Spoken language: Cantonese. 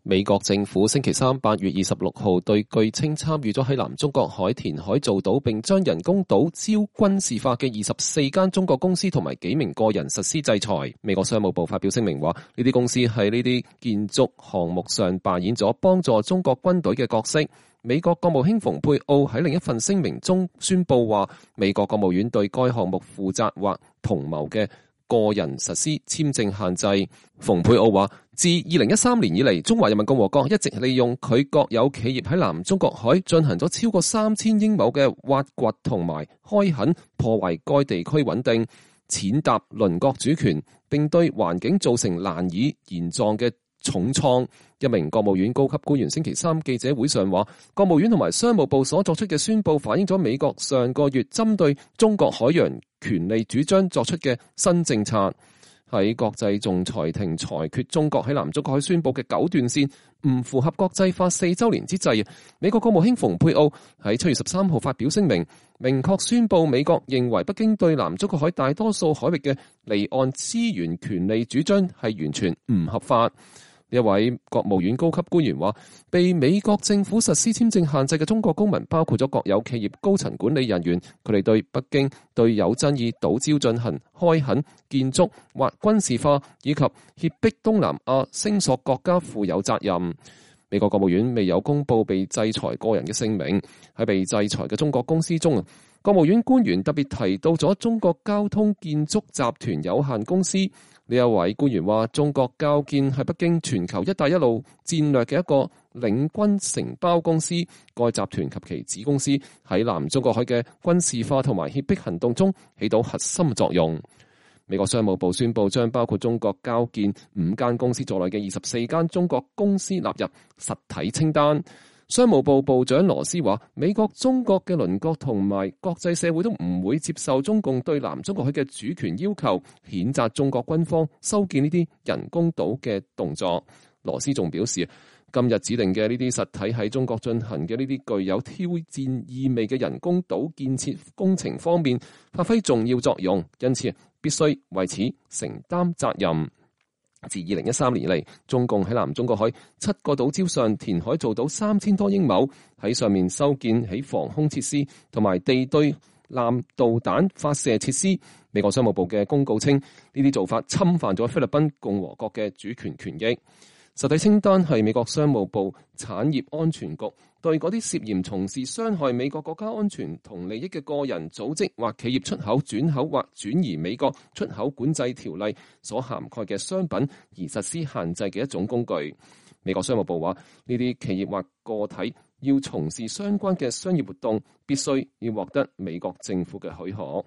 美國政府星期三8月26號對據稱參與咗喺南中國海填海造島並將人工島招軍事化嘅24間中國公司同埋幾名個人實施制裁。美國商務部發表聲明話，呢啲公司喺呢啲建築項目上扮演咗幫助中國軍隊嘅角色。美國國務卿蓬佩奧喺另一份聲明中宣布話，美國國務院對該項目負責或同謀嘅個人實施簽證限制。蓬佩奧話，自2013年以嚟，中華人民共和國一直利用佢國有企業喺南中國海進行咗超過3000英畝嘅挖掘同埋開墾，破壞該地區穩定，踐踏鄰國主權，並對環境造成難以言狀嘅重創。一名國務院高級官員星期三記者會上話，國務院同埋商務部所作出嘅宣佈反映咗美國上個月針對中國海洋權利主張作出嘅新政策。喺國際仲裁庭裁決中國喺南中國海宣佈嘅9段線唔符合國際法4週年之際，美國國務卿蓬佩奧喺7月13號發表聲明，明確宣佈美國認為北京對南中國海大多數海域嘅離岸資源權利主張係完全唔合法。一位國務院高級官員話，被美國政府實施簽證限制嘅中國公民包括咗國有企業高層管理人員，佢哋對北京對有爭議島礁進行開墾、建築或軍事化，以及脅迫東南亞聲索國家負有責任。美國國務院未有公布被制裁個人嘅姓名。喺被制裁嘅中國公司中，國務院官員特別提到咗中國交通建築集團有限公司。呢一位官員話，中國交建係北京全球一帶一路戰略嘅一個領軍承包公司，該集團及其子公司喺南中國海嘅軍事化同埋脅迫行動中起到核心作用。美國商務部宣布將包括中國交建5間公司在內嘅24間中國公司納入實體清單。商務部部長羅斯話，美國、中國嘅鄰國同埋國際社會都唔會接受中共對南中國海嘅主權要求，譴責中國軍方修建呢啲人工島嘅動作。羅斯仲表示，今日指定嘅呢啲實體喺中國進行嘅呢啲具有挑戰意味嘅人工島建設工程方面發揮重要作用，因此必須為此承擔責任。自2013年以嚟，中共喺南中國海7個島礁上填海造島3000多英畝，喺上面修建起防空設施同埋地對艦導彈發射設施。美國商務部嘅公告稱，呢啲做法侵犯咗菲律賓共和國嘅主權權益。實體清單係美國商務部產業安全局對嗰啲涉嫌從事傷害美國國家安全同利益嘅個人、組織或企業出口、轉口或轉移美國出口管制條例所涵蓋嘅商品而實施限制嘅一種工具。美國商務部話，呢啲企業或個體要從事相關嘅商業活動，必須要獲得美國政府嘅許可。